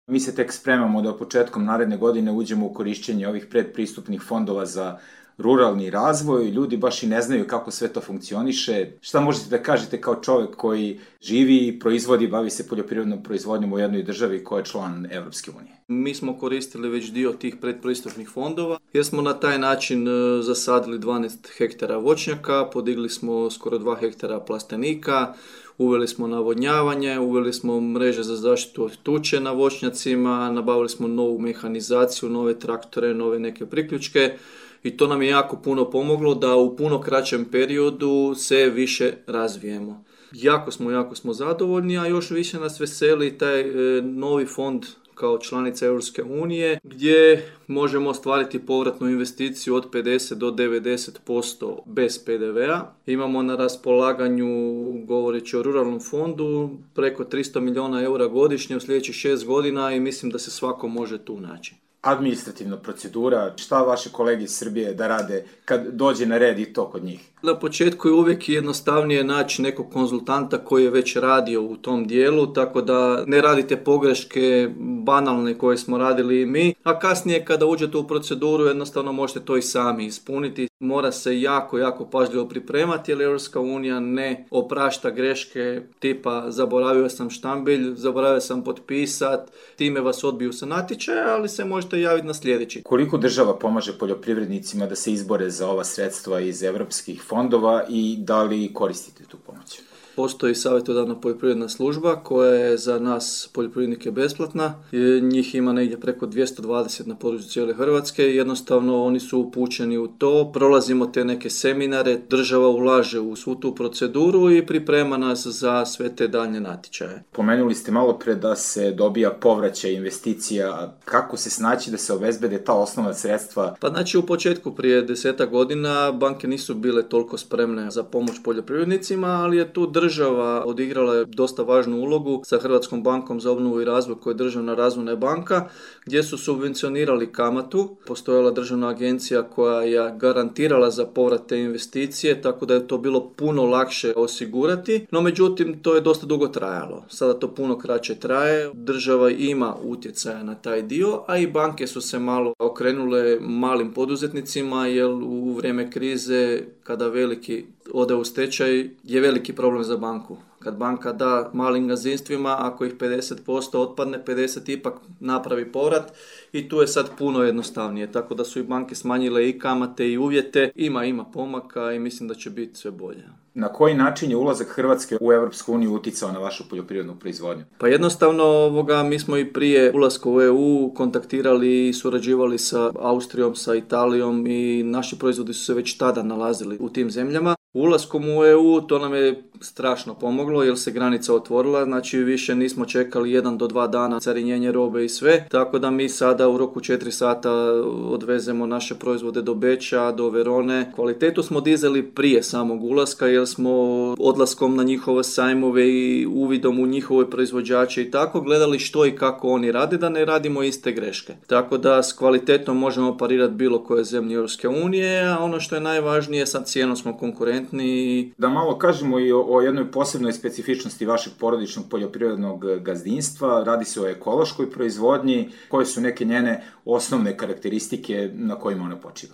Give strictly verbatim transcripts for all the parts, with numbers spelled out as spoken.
Mi se tek spremamo da početkom naredne godine uđemo u korišćenje ovih predpristupnih fondova za ruralni razvoj. Ljudi baš i ne znaju kako sve to funkcioniše. Šta možete da kažete kao čovek koji živi, proizvodi, bavi se poljoprivrednom proizvodnjom u jednoj državi koja je član Evropske unije? Mi smo koristili već dio tih predpristupnih fondova jer smo na taj način zasadili dvanaest hektara voćnjaka, podigli smo skoro dva hektara plastenika, uveli smo navodnjavanje, uveli smo mreže za zaštitu od tuče na voćnjacima, nabavili smo novu mehanizaciju, nove traktore, nove neke priključke i to nam je jako puno pomoglo da u puno kraćem periodu se više razvijemo. Jako smo, jako smo zadovoljni, a još više nas veseli taj e, novi fond kao članica Europske unije gdje možemo ostvariti povratnu investiciju od pedeset do devedeset posto bez pe de ve a. Imamo na raspolaganju, govoreći o ruralnom fondu, preko tristo milijuna eura godišnje u sljedećih šest godina i mislim da se svako može tu naći. Administrativna procedura, šta vaše kolege iz Srbije da rade kad dođe na red i to kod njih? Na početku je uvijek jednostavnije naći nekog konzultanta koji je već radio u tom dijelu, tako da ne radite pogreške banalne koje smo radili i mi, a kasnije kada uđete u proceduru jednostavno možete to i sami ispuniti. Mora se jako, jako pažljivo pripremati jer Europska unija ne oprašta greške tipa zaboravio sam štambilj, zaboravio sam potpisat, time vas odbiju sa natječaja, ali se možete javiti na sljedeći. Koliko država pomaže poljoprivrednicima da se izbore za ova sredstva iz evropskih fondova i da li koristite tu pomoć? Postoji savjetodavna poljoprivredna služba koja je za nas poljoprivrednike besplatna. Njih ima negdje preko dvjesto dvadeset na području cijele Hrvatske. Jednostavno oni su upućeni u to. Prolazimo te neke seminare, država ulaže u svu tu proceduru i priprema nas za sve te daljnje natječaje. Pomenuli ste malo pre da se dobija povraćaj investicija. Kako se snaći da se obezbede ta osnovna sredstva? Pa znači u početku prije desetak godina banke nisu bile toliko spremne za pomoć poljoprivrednicima, ali je tu država Država odigrala je dosta važnu ulogu sa Hrvatskom bankom za obnovu i razvoj koja je državna razvojna banka gdje su subvencionirali kamatu. Postojala državna agencija koja je garantirala za povrat te investicije, tako da je to bilo puno lakše osigurati, no međutim to je dosta dugo trajalo. Sada to puno kraće traje, država ima utjecaja na taj dio, a i banke su se malo okrenule malim poduzetnicima jer u vrijeme krize kada veliki ode u stečaj je veliki problem za banku. Kad banka da malim gazdinstvima, ako ih pedeset posto otpadne, pedeset ipak napravi povrat i tu je sad puno jednostavnije. Tako da su i banke smanjile i kamate i uvjete. Ima, ima pomaka i mislim da će biti sve bolje. Na koji način je ulazak Hrvatske u Europsku uniju uticao na vašu poljoprivrednu proizvodnju? Pa jednostavno ovoga, mi smo i prije ulaska u e u kontaktirali i surađivali sa Austrijom, sa Italijom i naši proizvodi su se već tada nalazili u tim zemljama. Ulaskom u e u to nam je strašno pomoglo jer se granica otvorila, znači više nismo čekali jedan do dva dana carinjenje robe i sve, tako da mi sada u roku četiri sata odvezemo naše proizvode do Beča, do Verone. Kvalitetu smo dizali prije samog ulaska jer smo odlaskom na njihove sajmove i uvidom u njihove proizvođače i tako gledali što i kako oni rade, da ne radimo iste greške. Tako da s kvalitetom možemo parirati bilo koje zemlje Europske unije, a ono što je najvažnije, sad cijenom smo konkurentni. Da malo kažemo i o, o jednoj posebnoj specifičnosti vašeg porodičnog poljoprivrednog gazdinstva. Radi se o ekološkoj proizvodnji. Koje su neke njene osnovne karakteristike na kojima ona počiva?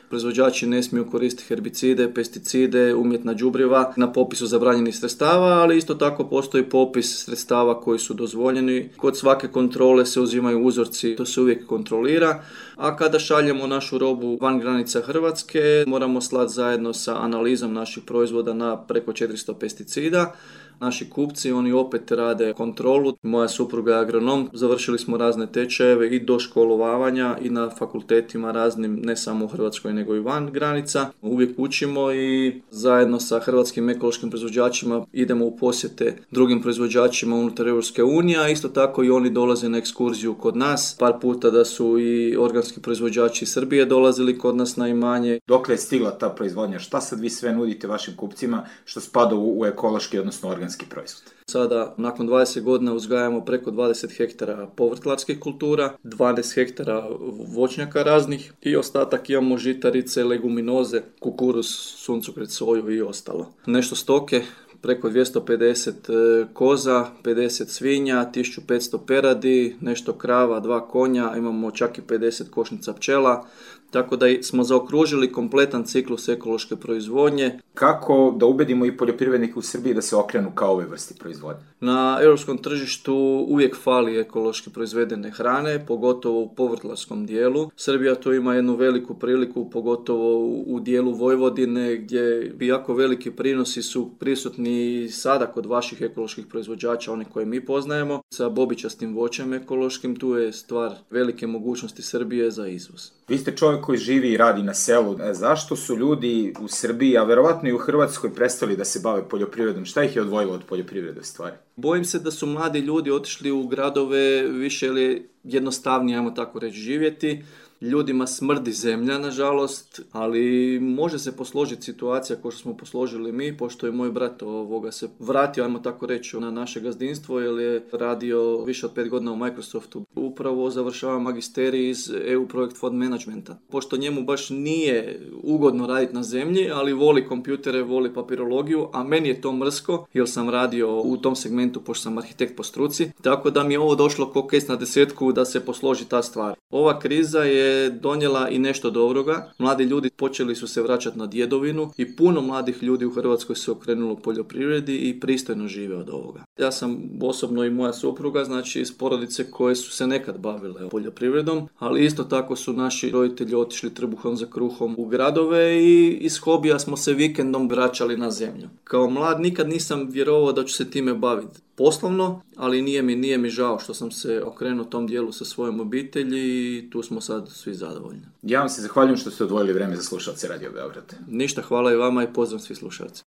Proizvođači ne smiju koristiti herbicide, pesticide, umjetna đubriva na popisu zabranjenih sredstava, ali isto tako postoji popis sredstava koji su dozvoljeni. Kod svake kontrole se uzimaju uzorci, to se uvijek kontrolira, a kada šaljemo našu robu van granica Hrvatske, moramo slati zajedno sa analizom naših proizvoda na preko četiristo pesticida. Naši kupci, oni opet rade kontrolu. Moja supruga je agronom, završili smo razne tečajeve i do školovanja i na fakultetima raznim, ne samo u Hrvatskoj nego i van granica. Uvijek učimo i zajedno sa hrvatskim ekološkim proizvođačima idemo u posjete drugim proizvođačima unutar Europske unije, a isto tako i oni dolaze na ekskurziju kod nas. Par puta da su i organski proizvođači iz Srbije dolazili kod nas na imanje. Dokle je stigla ta proizvodnja? Šta sad vi sve nudite vašim kupcima što spada u, u ekološki, odnosno organski proizvod? Sada, nakon dvadeset godina uzgajamo preko dvadeset hektara povrtlarskih kultura, dvanaest hektara voćnjaka raznih i ostatak imamo žitarice, leguminoze, kukuruz, suncokret, soju i ostalo. Nešto stoke, preko dvjesto pedeset koza, pedeset svinja, tisuću petsto peradi, nešto krava, dva konja, imamo čak i pedeset košnica pčela. Tako da smo zaokružili kompletan ciklus ekološke proizvodnje. Kako da ubedimo i poljoprivrednike u Srbiji da se okrenu ka ovoj vrsti proizvodnje? Na europskom tržištu uvijek fali ekološki proizvedene hrane, pogotovo u povrtlarskom dijelu. Srbija tu ima jednu veliku priliku, pogotovo u dijelu Vojvodine, gdje jako veliki prinosi su prisutni sada kod vaših ekoloških proizvođača, one koje mi poznajemo. Sa bobičastim voćem ekološkim, tu je stvar velike mogućnosti Srbije za izvoz. Vi ste čovjek koji živi i radi na selu. Zašto su ljudi u Srbiji, a verovatno i u Hrvatskoj, prestali da se bave poljoprivredom? Šta ih je odvojilo od poljoprivrede stvari? Bojim se da su mladi ljudi otišli u gradove više ili jednostavnije, ajmo tako reći, živjeti. Ljudima smrdi zemlja, nažalost, ali može se posložiti situacija kao što smo posložili mi, pošto je moj brat ovoga se vratio, ajmo tako reći, na naše gazdinstvo, jer je radio više od pet godina u Microsoftu. Upravo završava magisterij iz E U Project Fund Managementa. Pošto njemu baš nije ugodno raditi na zemlji, ali voli kompjutere, voli papirologiju, a meni je to mrsko, jer sam radio u tom segmentu, pošto sam arhitekt po struci, tako da mi je ovo došlo ko kec na desetku da se posloži ta stvar. Ova kriza je donijela i nešto dobroga. Mladi ljudi počeli su se vraćati na djedovinu i puno mladih ljudi u Hrvatskoj se okrenulo poljoprivredi i pristojno žive od ovoga. Ja sam osobno i moja supruga, znači iz porodice koje su se nekad bavile poljoprivredom, ali isto tako su naši roditelji otišli trbuhom za kruhom u gradove i iz hobija smo se vikendom vraćali na zemlju. Kao mlad nikad nisam vjerovao da ću se time baviti poslovno, ali nije mi, nije mi žao što sam se okrenuo tom dijelu sa svojom obitelji i tu smo sad svi zadovoljni. Ja vam se zahvaljujem što ste odvojili vreme za slušalce Radio Beograd. Ništa, hvala i vama i pozdrav svi slušalci.